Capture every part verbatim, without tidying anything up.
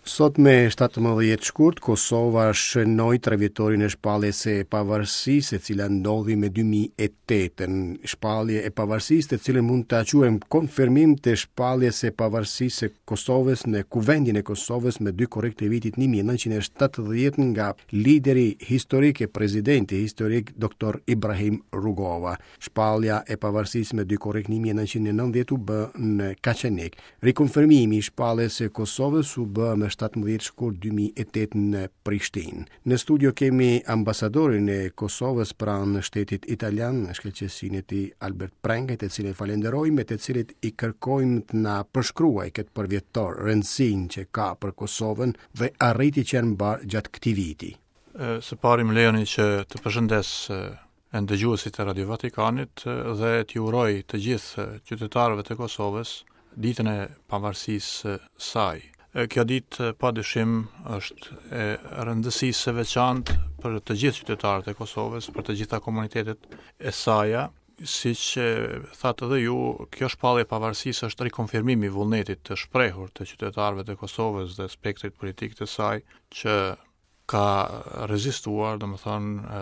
Sot me shtatëmbëdhjetë shkurt, Kosova shënoi trevjetorin e shpalljes së pavarësisë, e cila ndodhi me dy mijë e tetën. Shpallje e pavarësisë, të cilën mund ta quajmë konfirmim të shpalljes së pavarësisë së Kosovës në Kuvendin e Kosovës me dy korrik të vitit një mijë e nëntëqind e shtatëdhjetë nga lideri historik e presidenti historik doktor Ibrahim Rugova. Shpallja e pavarësisë me dy korrik një mijë e nëntëqind e nëntëdhjetë u bë në Kaçanik. Rikonfirmimi i shpalljes së Kosovës u bë me shtatëmbëdhjetë shkurt dy mijë e tetë në Prishtinë. Në studio kemi ambasadorin e Kosovës pranë shtetit italian, shkëlqesinë e tij Albert Prenkaj, të cilin e falenderojmë, me të cilit i kërkojmë të na përshkruaj këtë përvjetor, rëndësinë që ka për Kosovën dhe arritjet që janë mbarë gjatë këtij viti. E, së pari më lejoni që të përshëndes, e, ndëgjuesit e Radio Vatikanit, e, dhe t'ju uroj të gjithë qytetarëve të Kosovës ditën e pavarësisë së saj. E, kjo ditë padyshim është e rëndësisë së veçantë për të gjithë qytetarët e Kosovës, për të gjitha komunitetet e saja. Siç, e, thatë edhe ju, kjo shpallje e pavarësisë është rikonfirmimi i vullnetit të shprehur të qytetarëve të Kosovës dhe spektrit politik të saj, që ka rezistuar, domethënë, e,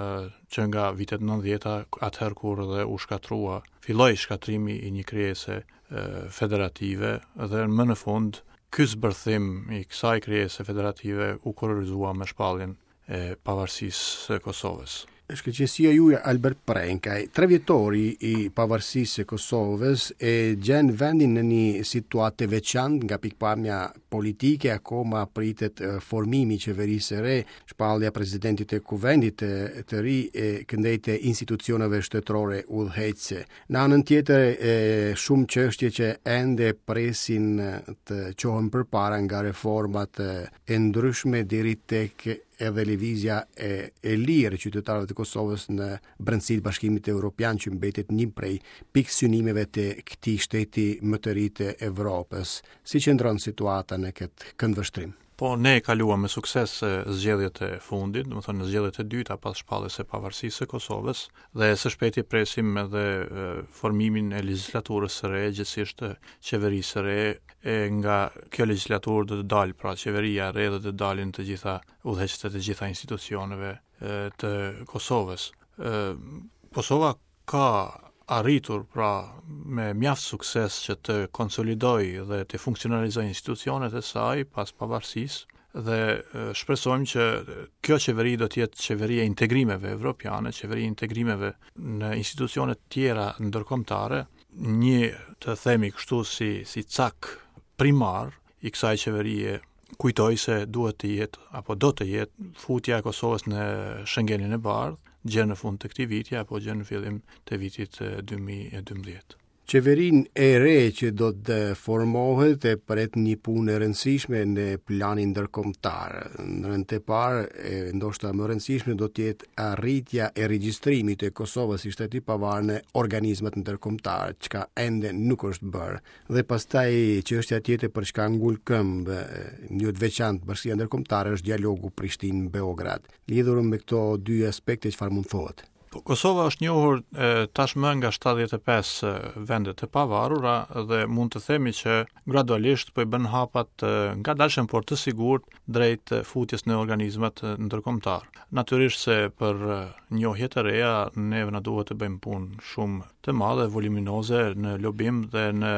që nga vitet nëntëdhjeta, atëherë kur dhe u shkatrua, filloi shkatrimi i një krijese, e, federative dhe më në fund ky zbërthim i kësaj krijese federative u kororizua me shpalljen e pavarësisë së Kosovës. Shkëlqesia juaj Albert Prenkaj, trevjetori i pavarësisë së Kosovës e gjen vendin në një situatë të veçantë nga pikpamja politike, akoma pritet, e, formimi i qeverisë së re, shpallja e presidentit të Kuvendit të, të ri e këndej të institucioneve shtetërore udhëheqëse. Në anën tjetër, e, shumë çështje që ende presin, e, të çohen përpara nga reformat, e, e ndryshme deri tek edhe lëvizja e, e lirë e qytetarëve të Kosovës në brendësi të Bashkimit Evropian, që mbetet një prej pikësynimeve të këtij shteti më të ri të Evropës. Si qëndron situata në këtë këndvështrim? Po, ne kaluam me sukses, e, zgjedhjet e fundit, domethënë në zgjedhjet e dyta pas shpalljes së pavarësisë së Kosovës, dhe së shpejti presim edhe, e, formimin e legjislaturës së re, gjithsesi qeverisë së re, e nga kjo legjislaturë do të dalë pra qeveria e re dhe do të dalin të gjitha udhëheqësit e të gjitha institucioneve, e, të Kosovës. E, Kosova ka arritur pra me mjaft sukses që të konsolidojë dhe të funksionalizojë institucionet e saj pas pavarësisë dhe, e, shpresojmë që kjo qeveri do të jetë qeveria e integrimeve evropiane, qeveria e integrimeve në institucionet tjera ndërkombëtare, një të themi kështu si, si cak primar i kësaj qeverie. Kujtoj se duhet të jetë apo do të jetë futja e Kosovës në Schengenin e Bardhë gjer në fund të këtij viti apo gjer në fillim të vitit, eh, dy mijë e dymbëdhjetë. Qeverinë e re që do të formohet e pret një punë e rëndësishme në planin ndërkombëtar. Në rend të parë, e ndoshta më e rëndësishme do të jetë arritja e regjistrimit të Kosovës si shtet i pavarur në organizmat ndërkombëtar, çka ende nuk është bërë. Dhe pastaj çështja tjetër për çka ngul këmbë, e, në mënyrë të veçantë Bashkësia Ndërkombëtare është dialogu Prishtinë-Beograd. Lidhur me këto dy aspekte, çfarë mund thuhet? Po, Kosova është njohur, e, tashmë nga shtatëdhjetë e pesë, e, vende të pavarura dhe mund të themi që gradualisht po i bën hapat, e, ngadalshëm por të sigurt drejt, e, futjes në organizmat, e, ndërkombëtar. Natyrisht se për, e, njohje të reja neve na duhet të bëjmë punë shumë të madhe, voluminoze në lobim dhe në,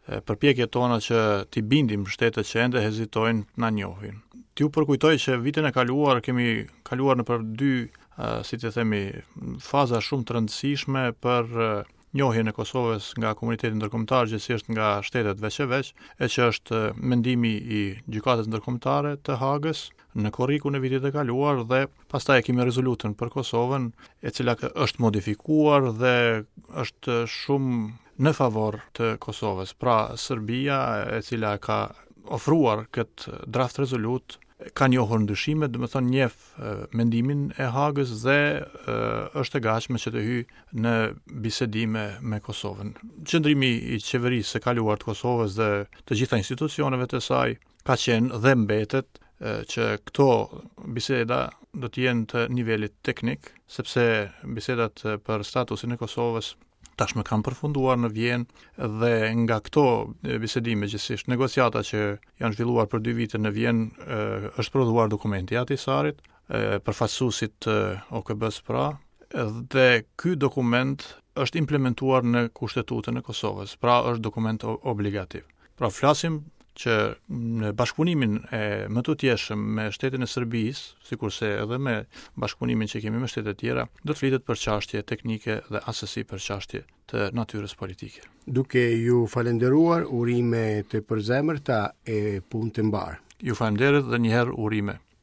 e, përpjekjet tona që t'i bindim shtetet që ende hezitojnë të na njohin. T'ju përkujtoj që vitin e kaluar kemi kaluar nëpër dy, ë, si të themi, faza shumë të rëndësishme për, ë, njohjen e Kosovës nga komuniteti ndërkombëtar, gjithsesi nga shtetet veç e veç, e që është mendimi i Gjykatës Ndërkombëtare të Hagës në korrikun e vitit të kaluar dhe pastaj e kemi rezolutën për Kosovën, e cila është modifikuar dhe është shumë në favor të Kosovës. Pra, Serbia, e cila ka ofruar këtë draft rezolut, ka njohur ndryshimet, do të thonë njeh, e, mendimin e Hagës dhe, e, është e gatshme që të hyjë në bisedime me Kosovën. Qëndrimi i qeverisë së kaluar të Kosovës dhe të gjitha institucioneve të saj ka qenë dhe mbetet, e, që këto biseda do të jenë të nivelit teknik, sepse bisedat për statusin e Kosovës tashmë kanë përfunduar në Vjenë dhe nga këto bisedime, gjithsesi negociata që janë zhvilluar për dy vite në Vjenë, është prodhuar dokumenti i Ahtisarit, përfaqësuesit të O K B-s pra, dhe ky dokument është implementuar në Kushtetutën e Kosovës, pra është dokument obligativ. Pra flasim që në bashkëpunimin e më të tjeshëm me shtetin e Serbisë, sikurse edhe me bashkëpunimin që kemi me shtetet e tjera, do të flitet për çështje teknike dhe asesi për çështje të natyrës politike. Duke ju falenderuar, urime të përzemërta e punë të mbarë. Ju falenderoj dhe një herë urime.